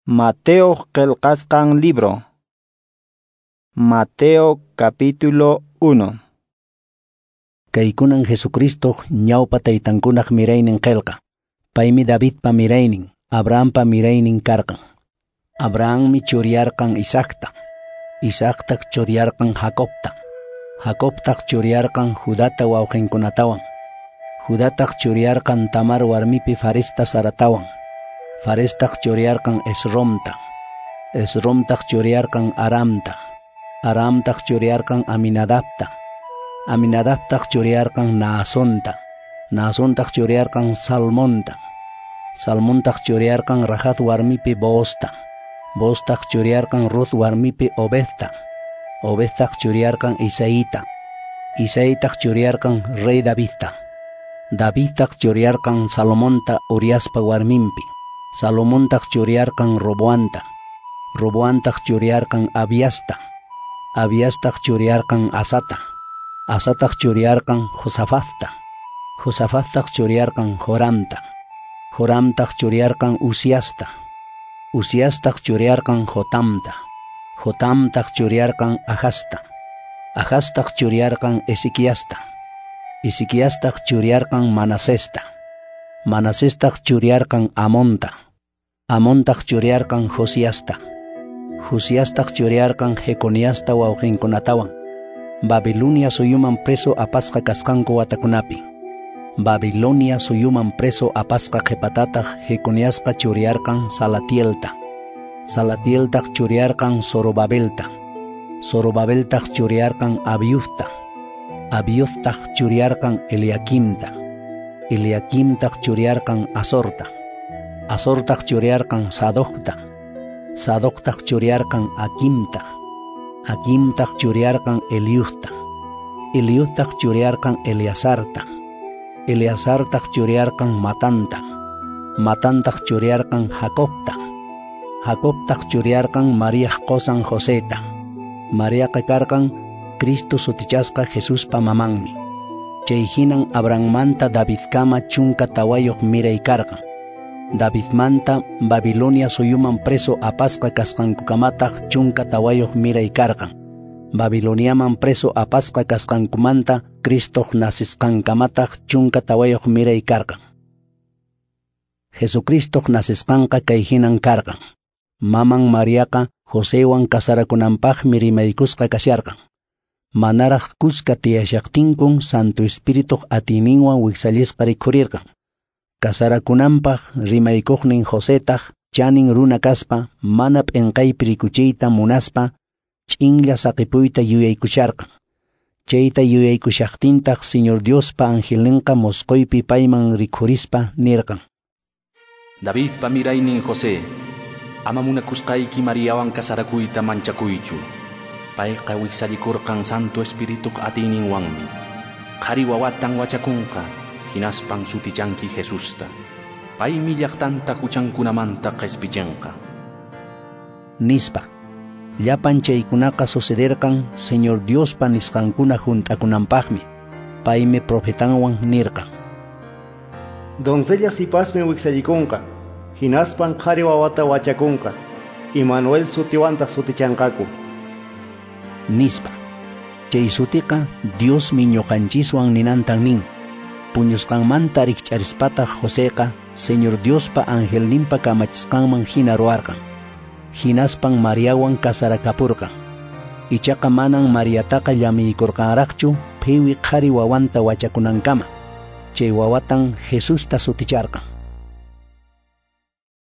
Mateo qillqasqan libro. Mateo capítulo 1. Kaykunan Jesucristo ñawpa taytankunaq miraynin qillqa. Paymi Davidpa miraynin, Abrahampa miraynin karqan. Abrahammi churiyarqan Isaacta. Isaactaq churiyarqan Jacobta. Jacobtaq churiyarqan Judata wawqinkunatawan. Judataq churiyarqan Tamar warmipi Faresta Saratawan. Farestaq churiyarqan Esromta. Esromtaq churiyarqan Aramta. Aramtaq churiyarqan Aminadabta. Aminadabtaq churiyarqan Naasonta. Naasontaq churiyarqan Salmonta. Salmontaq churiyarqan Rahab warmipi Boozta. Booztaq churiyarqan Ruth warmipi Obedta. Obedtaq churiyarqan Isaíta. Isaítaq churiyarqan rey Davidta. Davidtaq churiyarqan Salomonta Uriaspa warminpi. Salomontaq churiyarqan Roboanta. Roboantaq churiyarqan Abiasta. Abiastaq churiyarqan Asata. Asataq churiyarqan Josafatta. Josafattaq churiyarqan Joramta. Joramtaq churiyarqan Uziasta. Uziastaq churiyarqan Jotamta. Jotamtaq churiyarqan Ahazta. Ahaztaq churiyarqan Ezequiasta. Ezequiastaq churiyarqan Manasesta. Manasestaq churiyarqan Amonta. Amontaq churiyarqan Josiasta. Josiastaq churiyarqan Jeconiasta wawqinkunatawan. Babilonia suyuman preso apasqa kasqanku watakunapi. Babilonia suyuman preso apasqa qhipatataq Jeconiasqa churiyarqan Salatielta. Salatieltaq churiyarqan Zorobabelta. Zorobabeltaq churiyarqan Abiudta. Abiudtaq churiyarqan Eliaquimta. Eliaquimtaq churiyarqan Azorta. Azortaq churiyarqan Sadocta. Sadoctaq churiyarqan Aquimta. Aquimtaq churiyarqan Eliudta. Eliudtaq churiyarqan Eleazarta. Eleazartaq churiyarqan Matanta. Matantaq churiyarqan Jacobta. Jacobtaq churiyarqan Mariaq qosan Joseta. Mariaqa karqan Cristo sutichasqa Jesuspa mamanmi. Chay hinan Abrahammanta Davidkama 14 miray karqan. Davidmanta Babilonia suyuman preso apasqa kasqankukamataq 14 miray karqan. Babiloniaman preso apasqa kasqankumanta Cristoq nacisqankamataq 14 miray karqan. Jesucristoq nacisqanqa kay hinan karqan. Maman Mariaqa Josewan casarakunanpaqmi rimaykusqa kasharqan. Manaraq kuska tiyashaqtinkun Santo Espirituq atiyninwan wiksallisqa rikhurirqan. Casarakunanpaq rimaykuqnin Josetaq chanin runa kaspa mana p'inqaypi rikuchiyta munaspa ch'inlla saqipuyta yuyaykusharqan. Chayta yuyaykushaqtintaq Señor Diospa angelninqa mosqoypi payman rikhurispa nirqan: Davidpa miraynin José, ama munakusqayki Mariawan casarakuyta manchakuychu. Payqa wiksallikurqan Santo Espirituq atiyninwanmi. Qhari wawatan wachakunqa, hinaspan sutichanki Jesusta. Paymi llaqtanta huchankunamanta qhispichinqa. Nispa. Llapan chaykunaqa sucederqan Señor Diospa nisqankuna hunt'akunanpaqmi. Paymi profetanwan nirqan: Doncella sipasmi wiksallikunqa, hinaspan qhari wawata wachakunqa, Immanuel sutiwantaq sutichanqaku. Nispa. Chay sutiqa Diosmi ñuqanchiswan ninantan nin. Puñusqanmanta rikch'arispataq Joseqa Señor Diospa angelninpa kamachisqanman hina ruwarqan. Hinaspan Mariawan casarakapurqan. Ichaqa manan Mariataqa llamiykurqanraqchu phiwi qhari wawanta wachakunankama. Chay wawatan Jesusta suticharqan.